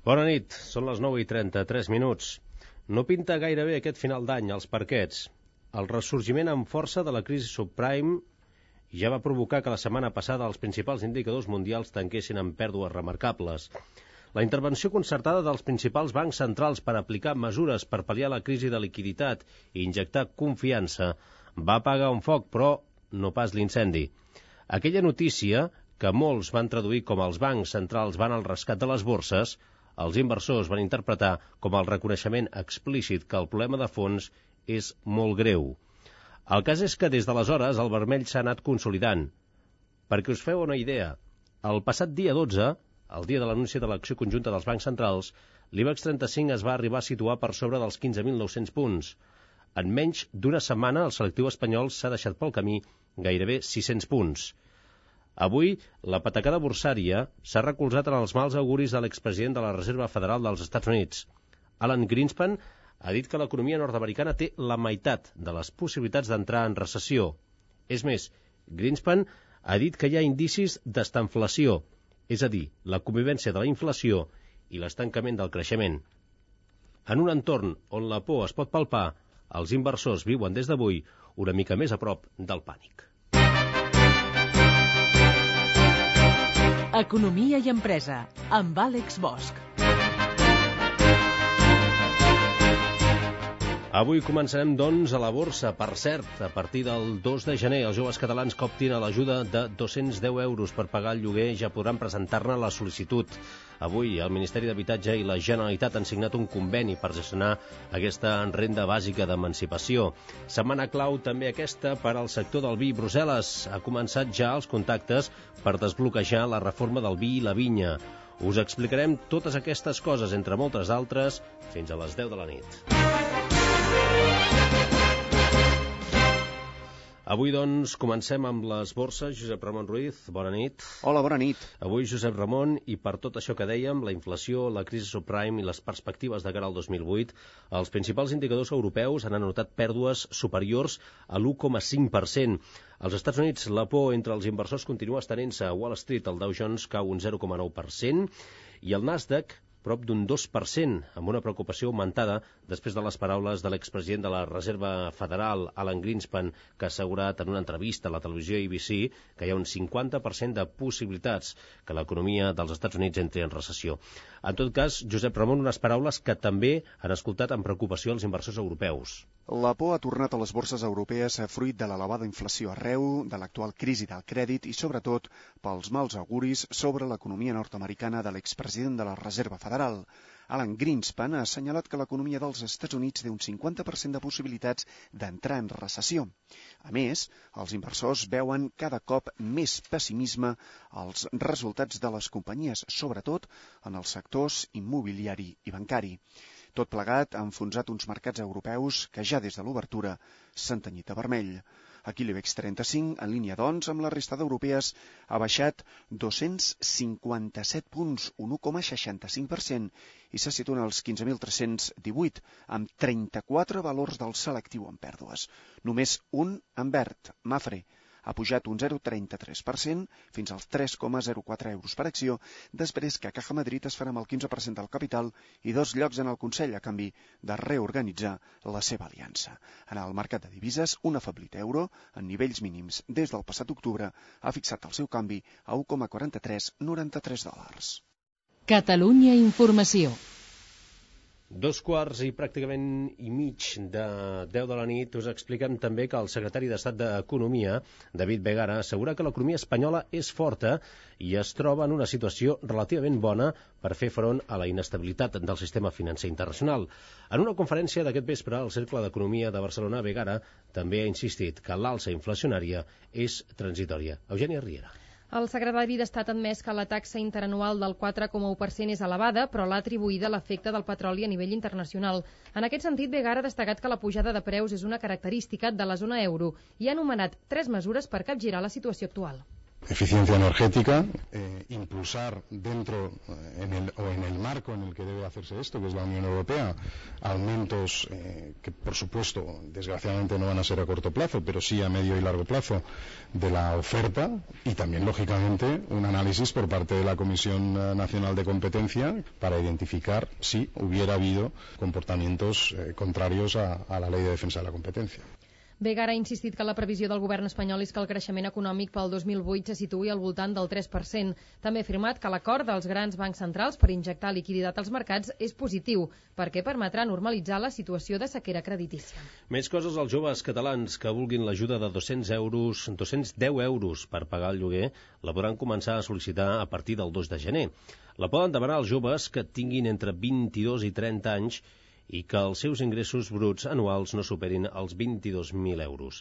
Bona nit, són les 9:33. No pinta gaire bé aquest final d'any als parquets. El ressorgiment amb força de la crisi subprime ja va provocar que la setmana passada els principals indicadors mundials tanquessin amb pèrdues remarcables. La intervenció concertada dels principals bancs centrals per aplicar mesures per pal·liar la crisi de liquiditat i injectar confiança va apagar un foc, però no pas l'incendi. Aquella notícia, que molts van traduir com els bancs centrals van al rescat de les borses, els inversors van interpretar com el reconeixement explícit que el problema de fons és molt greu. El cas és que des d'aleshores el vermell s'ha anat consolidant. Perquè us feu una idea, el passat dia 12, el dia de l'anunci de l'acció conjunta dels bancs centrals, l'IBEX 35 es va arribar a situar per sobre dels 15.900 punts. En menys d'una setmana, el selectiu espanyol s'ha deixat pel camí gairebé 600 punts. Avui, la patacada borsària s'ha recolzat en els mals auguris de l'expresident de la Reserva Federal dels Estats Units. Alan Greenspan ha dit que l'economia nord-americana té la meitat de les possibilitats d'entrar en recessió. És més, Greenspan ha dit que hi ha indicis d'estanflació, és a dir, la convivència de la inflació i l'estancament del creixement. En un entorn on la por es pot palpar, els inversors viuen des d'avui una mica més a prop del pànic. Economia i empresa, amb Àlex Bosch. Avui començarem, doncs, a la borsa. Per cert, a partir del 2 de gener, els joves catalans que optin a l'ajuda de 210 euros per pagar el lloguer ja podran presentar-ne la sol·licitud. Avui, el Ministeri d'Habitatge i la Generalitat han signat un conveni per gestionar aquesta renda bàsica d'emancipació. Setmana clau també aquesta per al sector del vi. Brussel·les ha començat ja els contactes per desbloquejar la reforma del vi i la vinya. Us explicarem totes aquestes coses, entre moltes altres, fins a les 10 de la nit. Avui, doncs, comencem amb les borses. Josep Ramon Ruiz, bona nit. Hola, bona nit. Avui, Josep Ramon, i per tot això que dèiem, la inflació, la crisi subprime i les perspectives de cara al 2008, els principals indicadors europeus han anotat pèrdues superiors a l'1,5%. Als Estats Units, la por entre els inversors continua estenent-se. A Wall Street, el Dow Jones cau un 0,9% i el Nasdaq prop d'un 2%, amb una preocupació augmentada després de les paraules de l'expresident de la Reserva Federal, Alan Greenspan, que ha assegurat en una entrevista a la televisió ABC que hi ha un 50% de possibilitats que l'economia dels Estats Units entri en recessió. En tot cas, Josep Ramon, unes paraules que també han escoltat amb preocupació els inversors europeus. La por ha tornat a les borses europees fruit de l'elevada inflació arreu, de l'actual crisi del crèdit i, sobretot, pels mals auguris sobre l'economia nord-americana de l'expresident de la Reserva Federal. Alan Greenspan ha assenyalat que l'economia dels Estats Units té un 50% de possibilitats d'entrar en recessió. A més, els inversors veuen cada cop més pessimisme als resultats de les companyies, sobretot en els sectors immobiliari i bancari. Tot plegat ha enfonsat uns mercats europeus que ja des de l'obertura s'han tenyit de vermell. Aquí l'IBEX 35, en línia doncs amb la resta d'europees, ha baixat 257 punts, un 1,65%, i se situen als 15.318, amb 34 valors del selectiu en pèrdues. Només un en verd, Mapfre, ha pujat un 0,33% fins als 3,04 euros per acció, després que Caja Madrid es farà amb el 15% del capital i 2 llocs en el Consell a canvi de reorganitzar la seva aliança. En el mercat de divises, un afeblit euro, en nivells mínims des del passat octubre, ha fixat el seu canvi a 1,4393 dòlars. Catalunya Informació. 2:15 de 10 de la nit, us expliquem també que el secretari d'Estat d'Economia, David Vegara, assegura que l'economia espanyola és forta i es troba en una situació relativament bona per fer front a la inestabilitat del sistema financer internacional. En una conferència d'aquest vespre, al Cercle d'Economia de Barcelona, Vegara també ha insistit que l'alça inflacionària és transitòria. Eugènia Riera. El secretari d'Estat ha admès que la taxa interanual del 4,1% és elevada, però l'ha atribuïda a l'efecte del petroli a nivell internacional. En aquest sentit, Vegara ha destacat que la pujada de preus és una característica de la zona euro i ha anomenat 3 mesures per capgirar la situació actual. eficiencia energética, impulsar dentro en el marco en el que debe hacerse esto, que es la Unión Europea, aumentos que por supuesto desgraciadamente no van a ser a corto plazo, pero sí a medio y largo plazo de la oferta, y también lógicamente un análisis por parte de la Comisión Nacional de Competencia para identificar si hubiera habido comportamientos contrarios a la Ley de Defensa de la Competencia. Vegara ha insistit que la previsió del govern espanyol és que el creixement econòmic pel 2008 se situï al voltant del 3%. També ha afirmat que l'acord dels grans bancs centrals per injectar liquiditat als mercats és positiu, perquè permetrà normalitzar la situació de sequera creditícia. Més coses als joves catalans que vulguin l'ajuda de 210 euros per pagar el lloguer la podran començar a sol·licitar a partir del 2 de gener. La poden demanar els joves que tinguin entre 22 i 30 anys i que els seus ingressos bruts anuals no superin els 22.000 euros.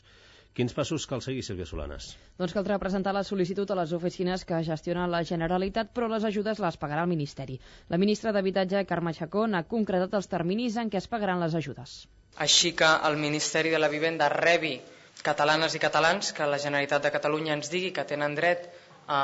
Quins passos cal seguir, Sílvia Solanes? Doncs caldrà presentar la sol·licitud a les oficines que gestiona la Generalitat, però les ajudes les pagarà el Ministeri. La ministra d'Habitatge, Carme Chacón, ha concretat els terminis en què es pagaran les ajudes. Així que el Ministeri de la Vivenda rebi catalanes i catalans que la Generalitat de Catalunya ens digui que tenen dret a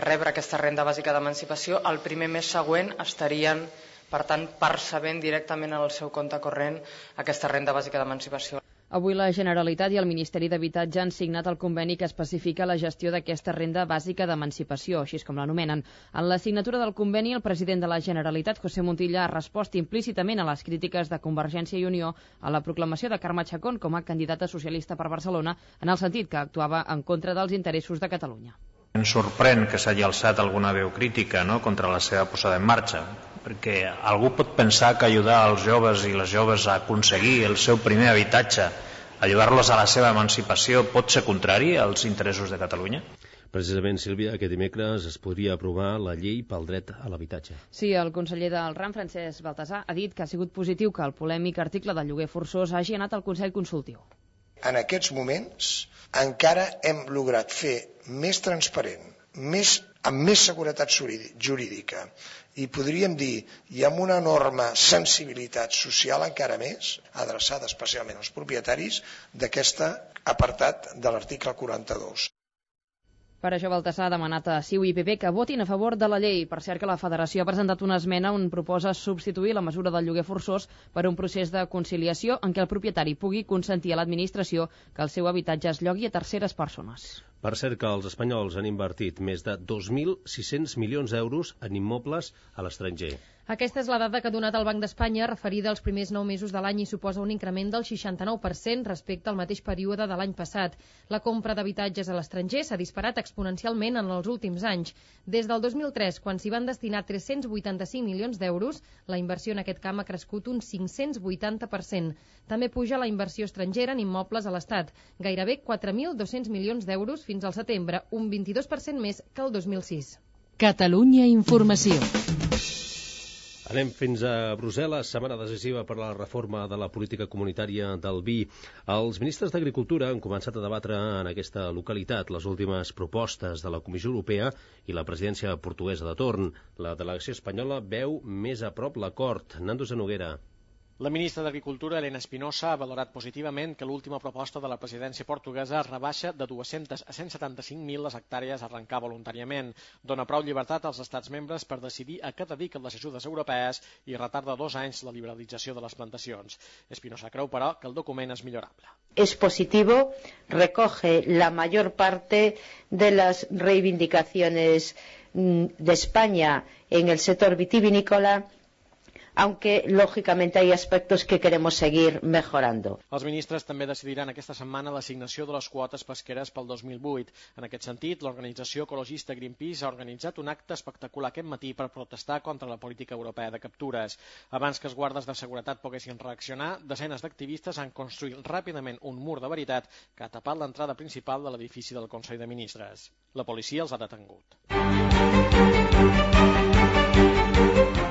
rebre aquesta renda bàsica d'emancipació, el primer mes següent estarien, per tant, percebent directament en el seu compte corrent aquesta renda bàsica d'emancipació. Avui la Generalitat i el Ministeri d'Habitatge han signat el conveni que especifica la gestió d'aquesta renda bàsica d'emancipació, així com l'anomenen. En la signatura del conveni, el president de la Generalitat, José Montilla, ha respost implícitament a les crítiques de Convergència i Unió a la proclamació de Carme Chacón com a candidata socialista per Barcelona, en el sentit que actuava en contra dels interessos de Catalunya. Ens sorprèn que s'hagi alçat alguna veu crítica, no?, contra la seva posada en marxa, perquè algú pot pensar que ajudar els joves i les joves a aconseguir el seu primer habitatge, ajudar-los a la seva emancipació, pot ser contrari als interessos de Catalunya? Precisament, Sílvia, aquest dimecres es podria aprovar la llei pel dret a l'habitatge. Sí, el conseller del RAM, Francesc Baltasar, ha dit que ha sigut positiu que el polèmic article del lloguer forçós hagi anat al Consell Consultiu. En aquests moments encara hem lograt fer més transparent, amb més seguretat jurídica i podríem dir, i amb una enorme sensibilitat social encara més, adreçada especialment als propietaris, d'aquest apartat de l'article 42. Per això Baltasar ha demanat a CiU i PP que votin a favor de la llei. Per cert que la Federació ha presentat una esmena on proposa substituir la mesura del lloguer forçós per un procés de conciliació en què el propietari pugui consentir a l'administració que el seu habitatge es llogui a terceres persones. Per cert que els espanyols han invertit més de 2.600 milions d'euros en immobles a l'estranger. Aquesta és la dada que ha donat el Banc d'Espanya referida als primers 9 mesos de l'any i suposa un increment del 69% respecte al mateix període de l'any passat. La compra d'habitatges a l'estranger s'ha disparat exponencialment en els últims anys. Des del 2003, quan s'hi van destinar 385 milions d'euros, la inversió en aquest camp ha crescut un 580%. També puja la inversió estrangera en immobles a l'Estat, gairebé 4.200 milions d'euros fins al setembre, un 22% més que el 2006. Catalunya Informació. Anem fins a Brussel·les, setmana decisiva per a la reforma de la política comunitària del vi. Els ministres d'Agricultura han començat a debatre en aquesta localitat les últimes propostes de la Comissió Europea i la presidència portuguesa de torn. La delegació espanyola veu més a prop l'acord. Nando Noguera. La ministra d'Agricultura, Elena Espinosa, ha valorat positivament que l'última proposta de la presidència portuguesa rebaixa de 200 a 175.000 les hectàrees a arrencar voluntàriament. Dona prou llibertat als estats membres per decidir a què dediquen les ajudes europees i retarda 2 anys la liberalització de les plantacions. Espinosa creu, però, que el document és millorable. Es positivo, recoge la mayor parte de las reivindicaciones de España en el sector vitivinícola, aunque lógicamente hay aspectos que queremos seguir mejorando. Els ministres també decidiran aquesta setmana l'assignació de les quotes pesqueres pel 2008. En aquest sentit, l'organització ecologista Greenpeace ha organitzat un acte espectacular aquest matí per protestar contra la política europea de captures. Abans que els guardes de seguretat poguessin reaccionar, desenes d'activistes han construït ràpidament un mur de veritat que ha tapat l'entrada principal de l'edifici del Consell de Ministres. La policia els ha detengut.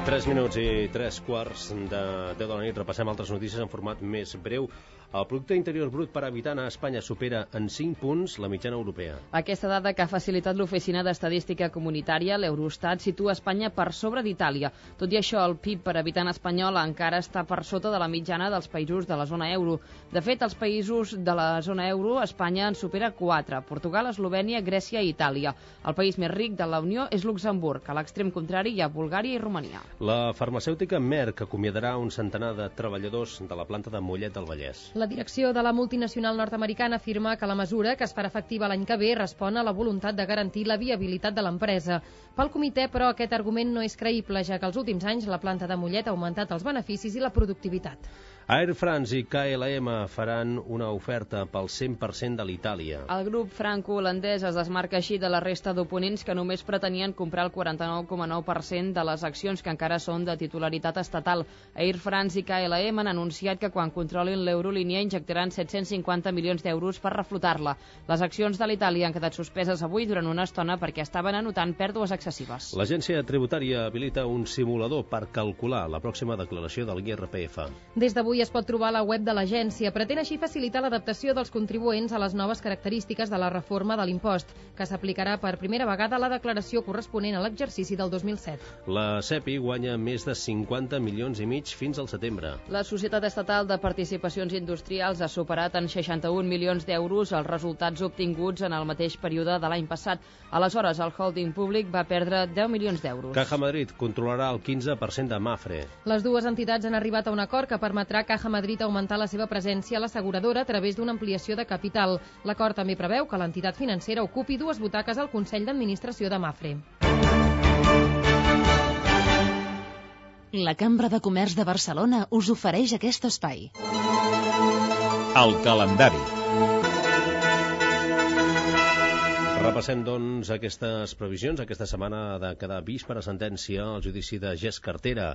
3 3 minuts i 3 quarts de 10 de la nit. Repassem altres notícies en format més breu. El producte interior brut per habitant a Espanya supera en 5 punts la mitjana europea. Aquesta dada que ha facilitat l'Oficina d'Estadística Comunitària, l'Eurostat, situa Espanya per sobre d'Itàlia. Tot i això, el PIB per habitant espanyol encara està per sota de la mitjana dels països de la zona euro. De fet, els països de la zona euro, Espanya en supera 4, Portugal, Eslovènia, Grècia i Itàlia. El país més ric de la Unió és Luxemburg, a l'extrem contrari hi ha Bulgària i Romania. La farmacèutica Merck acomiadarà un centenar de treballadors de la planta de Mollet del Vallès. La direcció de la multinacional nord-americana afirma que la mesura, que es farà efectiva l'any que ve, respon a la voluntat de garantir la viabilitat de l'empresa. Pel comitè, però, aquest argument no és creïble, ja que els últims anys la planta de Mollet ha augmentat els beneficis i la productivitat. Air France i KLM faran una oferta pel 100% de l'Itàlia. El grup franco-holandès es desmarca així de la resta d'oponents que només pretenien comprar el 49,9% de les accions que encara són de titularitat estatal. Air France i KLM han anunciat que quan controlin l'Eurolínia injectaran 750 milions d'euros per reflotar-la. Les accions de l'Itàlia han quedat suspeses avui durant una estona perquè estaven anotant pèrdues excessives. L'agència tributària habilita un simulador per calcular la pròxima declaració de l'IRPF. Des d'avui es pot trobar a la web de l'agència. Pretén així facilitar l'adaptació dels contribuents a les noves característiques de la reforma de l'impost, que s'aplicarà per primera vegada a la declaració corresponent a l'exercici del 2007. La CEPI guanya més de 50 milions i mig fins al setembre. La Societat Estatal de Participacions Industrials ha superat en 61 milions d'euros els resultats obtinguts en el mateix període de l'any passat. Aleshores, el holding públic va perdre 10 milions d'euros. Caja Madrid controlarà el 15% de Mafre. Les dues entitats han arribat a un acord que permetrà Caja Madrid augmentar la seva presència a l'asseguradora a través d'una ampliació de capital. L'acord també preveu que l'entitat financera ocupi 2 butaques al Consell d'Administració de Mafre. La Cambra de Comerç de Barcelona us ofereix aquest espai. El calendari. Repassem, doncs, aquestes previsions. Aquesta setmana ha de quedar vist per a sentència el judici de Gest Cartera.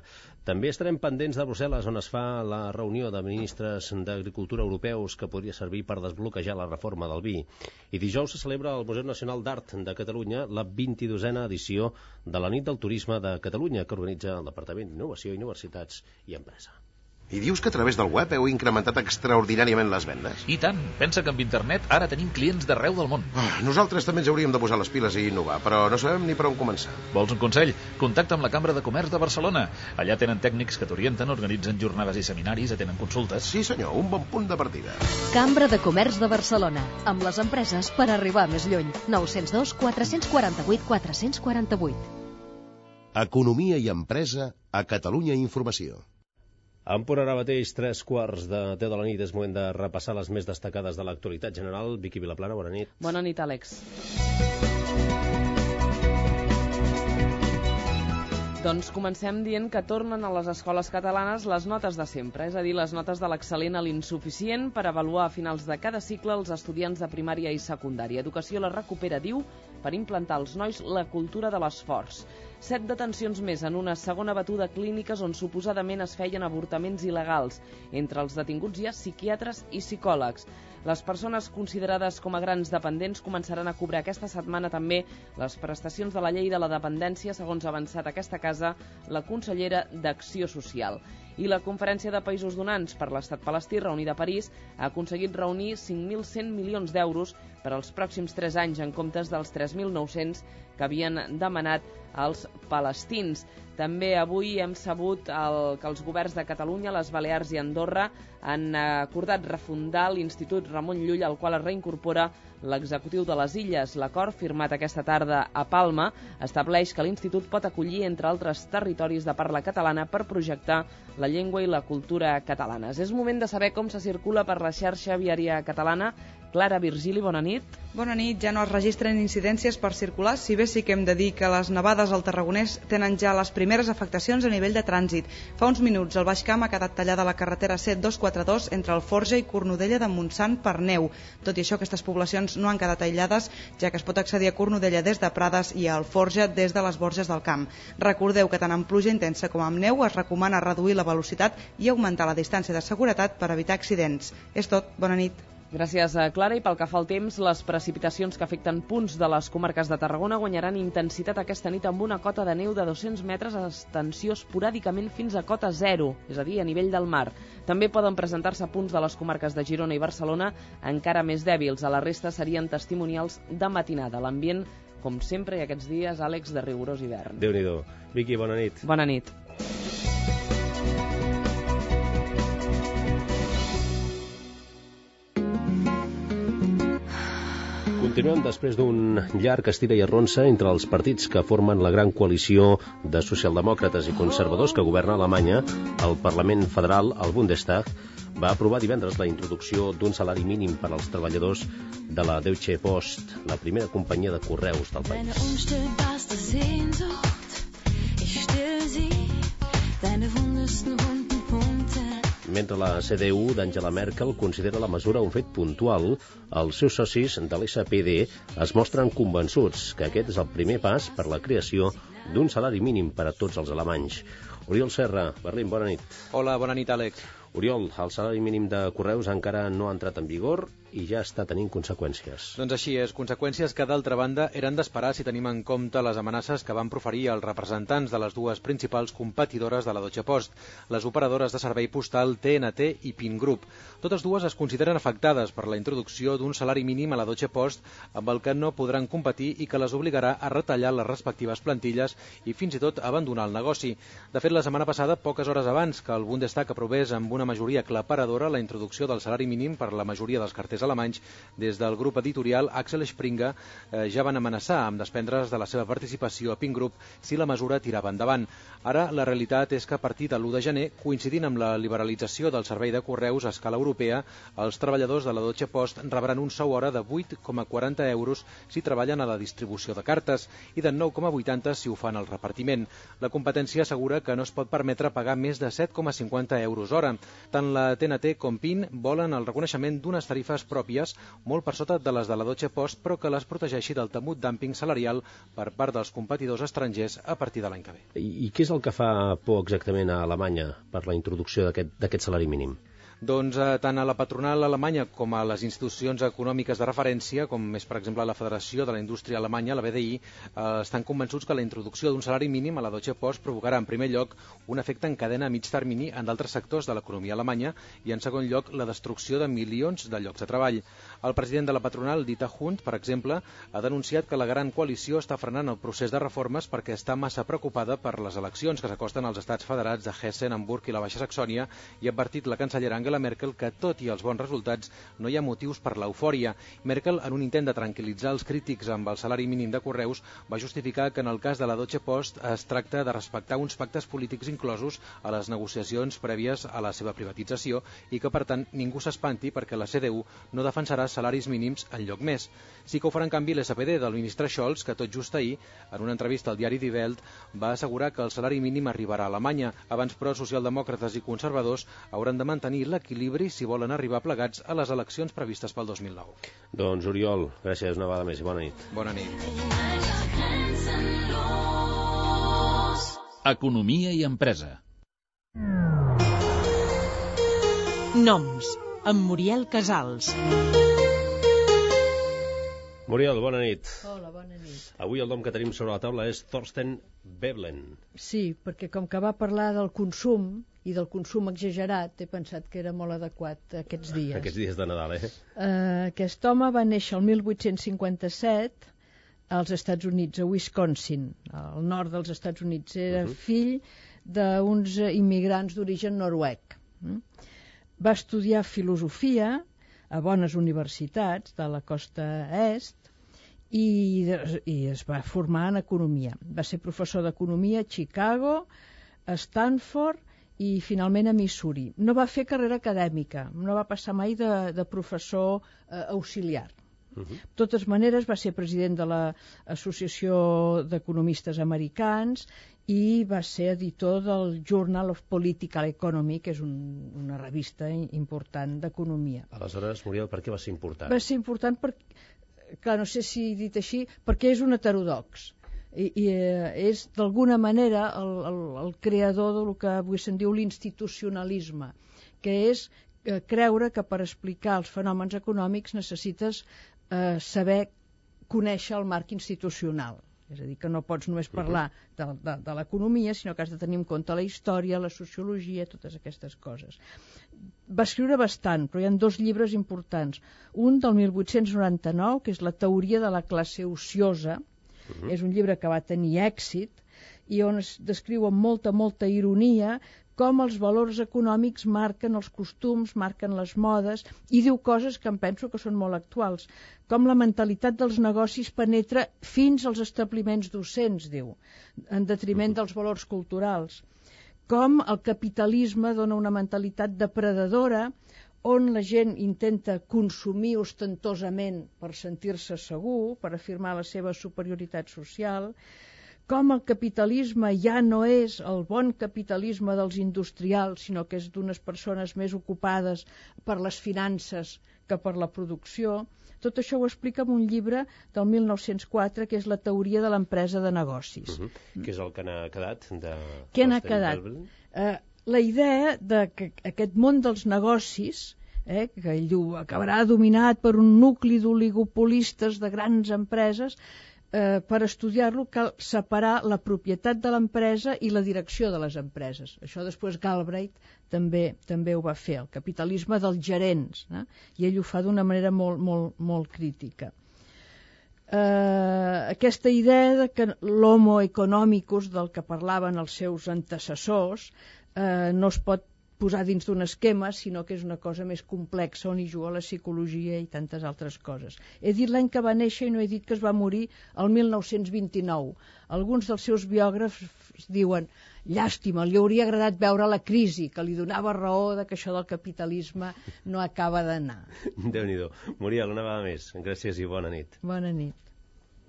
També estarem pendents de Brussel·les, on es fa la reunió de ministres d'Agricultura europeus que podria servir per desbloquejar la reforma del vi. I dijous se celebra al Museu Nacional d'Art de Catalunya la 22a edició de la Nit del Turisme de Catalunya, que organitza el Departament d'Innovació, Universitats i Empresa. I dius que a través del web heu incrementat extraordinàriament les vendes? I tant, pensa que amb internet ara tenim clients d'arreu del món. Nosaltres també ens hauríem de posar les piles i innovar, però no sabem ni per on començar. Vols un consell? Contacta amb la Cambra de Comerç de Barcelona. Allà tenen tècnics que t'orienten, organitzen jornades i seminaris, atenen consultes. Sí senyor, un bon punt de partida. Cambra de Comerç de Barcelona, amb les empreses per arribar més lluny. 902 448 448. Economia i empresa a Catalunya Informació. En punt ara mateix, 3 quarts de 10 de la nit, és moment de repassar les més destacades de l'actualitat general. Vicky Vilaplana, bona nit. Bona nit, Àlex. Doncs comencem dient que tornen a les escoles catalanes les notes de sempre, és a dir, les notes de l'excel·lent a l'insuficient per avaluar a finals de cada cicle els estudiants de primària i secundària. Educació la recupera, diu, per implantar als nois la cultura de l'esforç. 7 detencions més en una segona batuda a clíniques on suposadament es feien avortaments il·legals. Entre els detinguts hi ha psiquiatres i psicòlegs. Les persones considerades com a grans dependents començaran a cobrar aquesta setmana també les prestacions de la llei de la dependència, segons ha avançat aquesta casa la consellera d'Acció Social. I la Conferència de Països Donants per l'Estat palestí, reunida a París, ha aconseguit reunir 5.100 milions d'euros per als pròxims 3 anys, en comptes dels 3.900 que havien demanat als palestins. També avui hem sabut que els governs de Catalunya, les Balears i Andorra han acordat refundar l'Institut Ramon Llull, al qual es reincorpora l'executiu de les Illes. L'acord, firmat aquesta tarda a Palma, estableix que l'Institut pot acollir, entre altres territoris de parla catalana, per projectar la llengua i la cultura catalanes. És moment de saber com se circula per la xarxa viària catalana. Clara Virgili, bona nit. Bona nit. Ja no es registren incidències per circular, si bé sí que hem de dir que les nevades al Tarragonès tenen ja les primeres afectacions a nivell de trànsit. Fa uns minuts el Baix Camp ha quedat tallada la carretera C242 entre Alforja i Cornudella de Montsant per neu. Tot i això, aquestes poblacions no han quedat aïllades, ja que es pot accedir a Cornudella des de Prades i a Alforja des de les Borges del Camp. Recordeu que tant amb pluja intensa com amb neu es recomana reduir la velocitat i augmentar la distància de seguretat per evitar accidents. És tot. Bona nit. Gràcies, Clara. I pel que fa al temps, les precipitacions que afecten punts de les comarques de Tarragona guanyaran intensitat aquesta nit amb una cota de neu de 200 metres a extensió esporàdicament fins a cota 0, és a dir, a nivell del mar. També poden presentar-se punts de les comarques de Girona i Barcelona encara més dèbils. A la resta serien testimonials de matinada. L'ambient, com sempre, i aquests dies, Àlex, de rigorós hivern. Déu-n'hi-do. Vicky, bona nit. Bona nit. Continuem després d'un llarg estira i arronsa entre els partits que formen la gran coalició de socialdemòcrates i conservadors que governa Alemanya. El Parlament Federal, el Bundestag, va aprovar divendres la introducció d'un salari mínim per als treballadors de la Deutsche Post, la primera companyia de correus del país. Mentre la CDU d'Angela Merkel considera la mesura un fet puntual, els seus socis de l'SPD es mostren convençuts que aquest és el primer pas per la creació d'un salari mínim per a tots els alemanys. Oriol Serra, Berlín, bona nit. Hola, bona nit, Àlex. Oriol, el salari mínim de correus encara no ha entrat en vigor i ja està tenint conseqüències. Doncs així és, conseqüències que d'altra banda eren d'esperar si tenim en compte les amenaces que van proferir els representants de les dues principals competidores de la Deutsche Post, les operadores de servei postal TNT i PIN Group. Totes dues es consideren afectades per la introducció d'un salari mínim a la Deutsche Post amb el que no podran competir i que les obligarà a retallar les respectives plantilles i fins i tot abandonar el negoci. De fet, la setmana passada, poques hores abans que el Bundestag aprovés amb una majoria aclaparadora la introducció del salari mínim per la majoria dels carters alemanys, des del grup editorial Axel Springer ja van amenaçar amb desprendre's de la seva participació a PIN Group si la mesura tirava endavant. Ara, la realitat és que a partir de l'1 de gener, coincidint amb la liberalització del servei de correus a escala europea, els treballadors de la Deutsche Post rebran un sou hora de 8,40 euros si treballen a la distribució de cartes i de 9,80 si ho fan al repartiment. La competència assegura que no es pot permetre pagar més de 7,50 euros hora. Tant la TNT com PIN volen el reconeixement d'unes tarifes pròpies molt per sota de les de la Deutsche Post, però que les protegeixi del temut dúmping salarial per part dels competidors estrangers a partir de l'any que ve. I què és el que fa por exactament a Alemanya per la introducció d'aquest salari mínim? Doncs tant a la patronal alemanya com a les institucions econòmiques de referència, com és per exemple la Federació de la Indústria Alemanya, la BDI, estan convençuts que la introducció d'un salari mínim a la Deutsche Post provocarà en primer lloc un efecte en cadena a mig termini en d'altres sectors de l'economia alemanya i en segon lloc la destrucció de milions de llocs de treball. El president de la patronal, Dieter Hund, per exemple, ha denunciat que la gran coalició està frenant el procés de reformes perquè està massa preocupada per les eleccions que s'acosten als estats federats de Hessen, Hamburg i la Baixa Saxònia i ha advertit la cancellera Angela Merkel que, tot i els bons resultats, no hi ha motius per l'eufòria. Merkel, en un intent de tranquil·litzar els crítics amb el salari mínim de correus, va justificar que en el cas de la Deutsche Post es tracta de respectar uns pactes polítics inclosos a les negociacions prèvies a la seva privatització i que, per tant, ningú s'espanti perquè la CDU no defensarà salaris mínims enlloc més. Sí que ho farà, en canvi, l'SPD del ministre Scholz, que tot just ahir, en una entrevista al diari Die Welt, va assegurar que el salari mínim arribarà a Alemanya. Abans, però, socialdemòcrates i conservadors hauran de mantenir l'equilibri si volen arribar plegats a les eleccions previstes pel 2009. Doncs, Oriol, gràcies una vegada més i bona nit. Bona nit. Economia i empresa. Noms, amb Muriel Casals. Muriel, bona nit. Hola, bona nit. Avui el nom que tenim sobre la taula és Thorsten Veblen. Sí, perquè com que va parlar del consum i del consum exagerat, he pensat que era molt adequat aquests dies. Aquests dies de Nadal, Aquest home va néixer el 1857 als Estats Units, a Wisconsin, al nord dels Estats Units. Era fill d'uns immigrants d'origen noruec. Va estudiar filosofia a bones universitats de la costa est i es va formar en economia. Va ser professor d'economia a Chicago, a Stanford i finalment a Missouri. No va fer carrera acadèmica, no va passar mai de professor auxiliar. De totes maneres, va ser president de l'Associació d'Economistes Americans i va ser editor del Journal of Political Economy, que és una revista important d'economia. Aleshores, Muriel, per què va ser important? Va ser important perquè, clar, no sé si dit així, perquè és un heterodox. I és d'alguna manera el creador del que avui se'n diu l'institucionalisme, que és creure que per explicar els fenòmens econòmics necessites saber conèixer el marc institucional. És a dir, que no pots només parlar de l'economia, sinó que has de tenir en compte la història, la sociologia, totes aquestes coses. Va escriure bastant, però hi ha 2 llibres importants. Un del 1899, que és La teoria de la classe ociosa. És un llibre que va tenir èxit i on es descriu amb molta ironia com els valors econòmics marquen els costums, marquen les modes, i diu coses que em penso que són molt actuals, com la mentalitat dels negocis penetra fins als establiments docents, diu, en detriment dels valors culturals, com el capitalisme dona una mentalitat depredadora, on la gent intenta consumir ostentosament per sentir-se segur, per afirmar la seva superioritat social, com el capitalisme ja no és el bon capitalisme dels industrials, sinó que és d'unes persones més ocupades per les finances que per la producció. Tot això ho explica en un llibre del 1904, que és La teoria de l'empresa de negocis. Què és el que n'ha quedat? Què n'ha quedat? La idea de que aquest món dels negocis, que ell diu, acabarà dominat per un nucli d'oligopolistes de grans empreses. Per estudiar-lo cal separar la propietat de l'empresa i la direcció de les empreses. Això després Galbraith també ho va fer, el capitalisme dels gerents, i ell ho fa d'una manera molt crítica. Aquesta idea de que l'homo economicus, del que parlaven els seus antecessors, no es pot posar dins d'un esquema, sinó que és una cosa més complexa on hi juga la psicologia i tantes altres coses. He dit l'any que va néixer i no he dit que es va morir el 1929. Alguns dels seus biògrafs diuen llàstima, li hauria agradat veure la crisi, que li donava raó de que això del capitalisme no acaba d'anar. Déu-n'hi-do. Muriel, una vegada més. Gràcies i bona nit. Bona nit.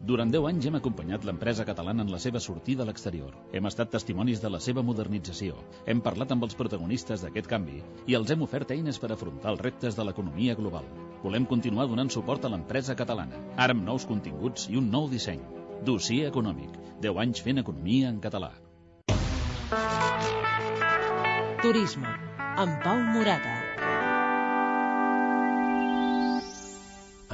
Durant 10 anys hem acompanyat l'empresa catalana en la seva sortida a l'exterior. Hem estat testimonis de la seva modernització. Hem parlat amb els protagonistes d'aquest canvi i els hem ofert eines per afrontar els reptes de l'economia global. Volem continuar donant suport a l'empresa catalana, ara amb nous continguts i un nou disseny. Dossier econòmic. 10 anys fent economia en català. Turisme, amb Pau Morata.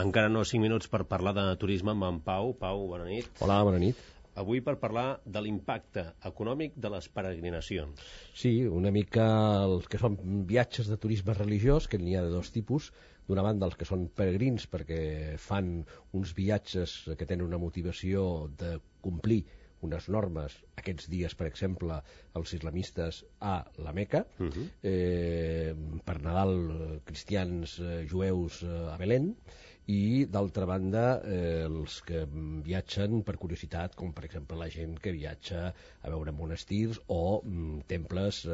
Encara no 5 minuts per parlar de turisme amb en Pau. Pau, bona nit. Hola, bona nit. Avui per parlar de l'impacte econòmic de les peregrinacions. Sí, una mica els que són viatges de turisme religiós, que n'hi ha de 2 tipus. D'una banda, els que són peregrins, perquè fan uns viatges que tenen una motivació de complir unes normes, aquests dies, per exemple, els islamistes a la Meca, per Nadal, cristians, jueus a Belén, i d'altra banda els que viatgen per curiositat, com per exemple la gent que viatja a veure monestirs o temples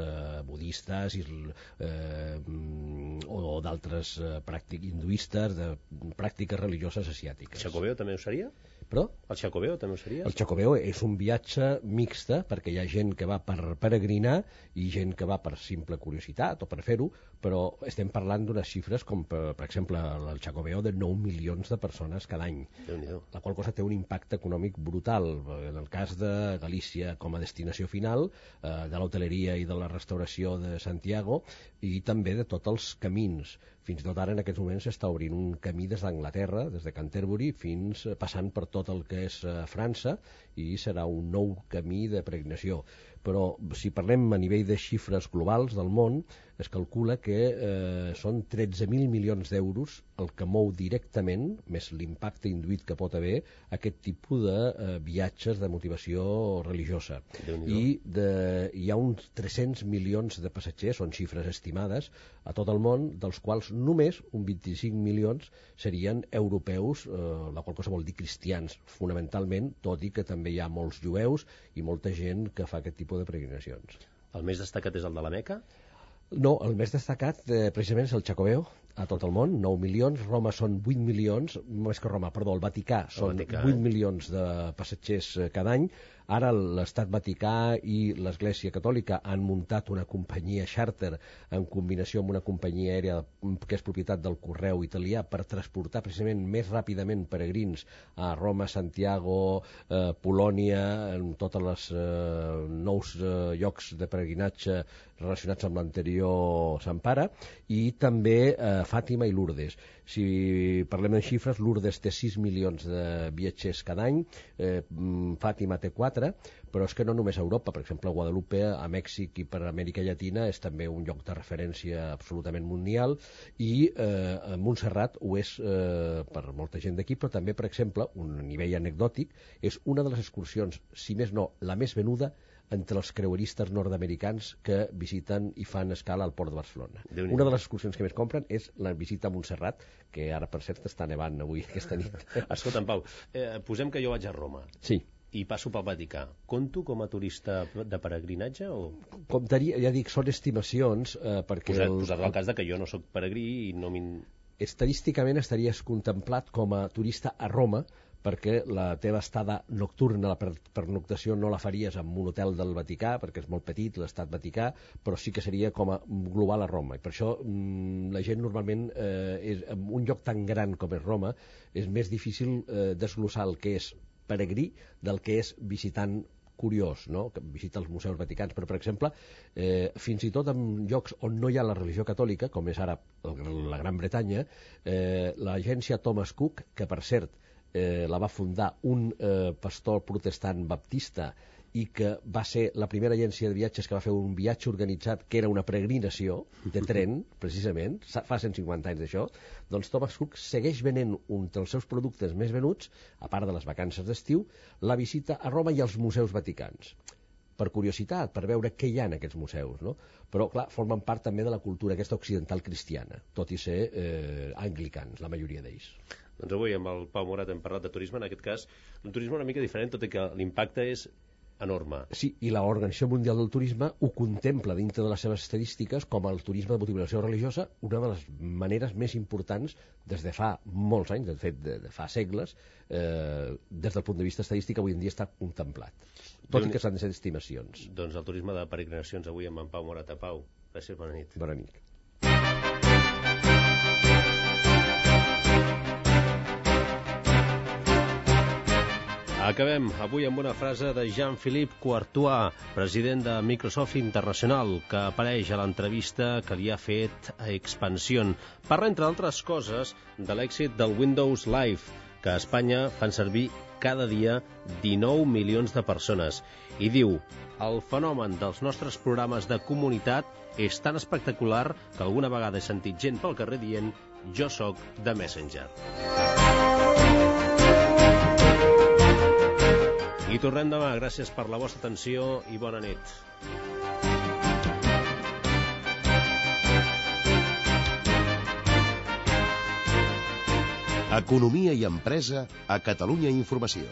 budistes o d'altres pràctiques hinduistes, de pràctiques religioses asiàtiques. El Xacobeo també ho seria? Perdó? El Xacobeo també ho seria? El Xacobeo és un viatge mixta, perquè hi ha gent que va per peregrinar i gent que va per simple curiositat o per fer-ho, però estem parlant d'unes xifres com, per exemple, el Xacobeo de 9 milions de persones cada any, la qual cosa té un impacte econòmic brutal. En el cas de Galícia com a destinació final, de l'hoteleria i de la restauració de Santiago, i també de tots els camins. Fins i tot ara en aquests moments s'està obrint un camí des d'Anglaterra, des de Canterbury, fins passant per tot el que és França, i serà un nou camí de peregrinació. Però si parlem a nivell de xifres globals del món, es calcula que són 13.000 milions d'euros el que mou directament, més l'impacte induït que pot haver, aquest tipus de viatges de motivació religiosa. I hi ha uns 300 milions de passatgers, són xifres estimades, a tot el món, dels quals només un 25 milions serien europeus, la qual cosa vol dir cristians, fonamentalment, tot i que també hi ha molts jueus i molta gent que fa aquest tipus de peregrinacions. El més destacat és el de la Meca? No, el més destacat precisament és el Xacobeo, a tot el món, 9 milions, Roma són 8 milions, més que Roma, perdó, el Vaticà són 8 milions de passatgers cada any. Ara l'Estat Vaticà i l'Església Catòlica han muntat una companyia xàrter en combinació amb una companyia aèria que és propietat del Correu italià per transportar precisament més ràpidament peregrins a Roma, Santiago, Polònia, en tots els nous llocs de peregrinatge relacionats amb l'anterior Sant Pare, i també Fàtima i Lourdes. Si parlem en xifres, Lourdes té 6 milions de viatgers cada any, Fàtima té 4, però és que no només a Europa, per exemple, a Guadalupe, a Mèxic i per Amèrica Llatina és també un lloc de referència absolutament mundial, i Montserrat ho és per molta gent d'aquí, però també, per exemple, un nivell anecdòtic, és una de les excursions, si més no, la més venuda entre els creueristes nord-americans que visiten i fan escala al port de Barcelona. Una de les excursions que més compren és la visita a Montserrat, que ara, per cert, està nevant avui, aquesta nit. Escolta'm, Pau, posem que jo vaig a Roma. Sí. I passo pel Vaticà. Compto com a turista de peregrinatge? O... Comptaria, ja dic, són estimacions, perquè... Posat el cas de que jo no sóc peregrí i no estadísticament estaries contemplat com a turista a Roma, perquè la teva estada nocturna, la pernoctació, no la faries en un hotel del Vaticà, perquè és molt petit, l'estat Vaticà, però sí que seria com a global a Roma. I per això la gent normalment, en un lloc tan gran com és Roma, és més difícil desglossar el que és peregrí del que és visitant curiós, no? Que visita els museus vaticans, però per exemple fins i tot en llocs on no hi ha la religió catòlica, com és ara la Gran Bretanya, l'agència Thomas Cook, que per cert la va fundar un pastor protestant baptista i que va ser la primera agència de viatges que va fer un viatge organitzat que era una peregrinació de tren, precisament, fa 150 anys d'això, doncs Thomas Cook segueix venent un dels seus productes més venuts, a part de les vacances d'estiu, la visita a Roma i als museus vaticans. Per curiositat, per veure què hi ha en aquests museus, no? Però, clar, formen part també de la cultura aquesta occidental cristiana, tot i ser anglicans, la majoria d'ells. Doncs avui amb el Pau Morat hem parlat de turisme, en aquest cas un turisme una mica diferent, tot i que l'impacte és enorme. Sí, i l'Organització Mundial del Turisme ho contempla dintre de les seves estadístiques com el turisme de motivació religiosa, una de les maneres més importants des de fa molts anys, de fet de fa segles, des del punt de vista estadístic avui en dia està contemplat, tot i que s'han de ser estimacions. Doncs el turisme de peregrinacions avui amb en Pau Morat. Pau, gràcies, bona nit. Bona nit. Acabem avui amb una frase de Jean-Philippe Courtois, president de Microsoft Internacional, que apareix a l'entrevista que li ha fet a Expansión. Parla, entre altres coses, de l'èxit del Windows Live, que a Espanya fan servir cada dia 19 milions de persones. I diu: el fenomen dels nostres programes de comunitat és tan espectacular que alguna vegada he sentit gent pel carrer dient «jo sóc de Messenger». I tornem demà. Gràcies per la vostra atenció i bona nit. Economia i empresa a Catalunya Informació.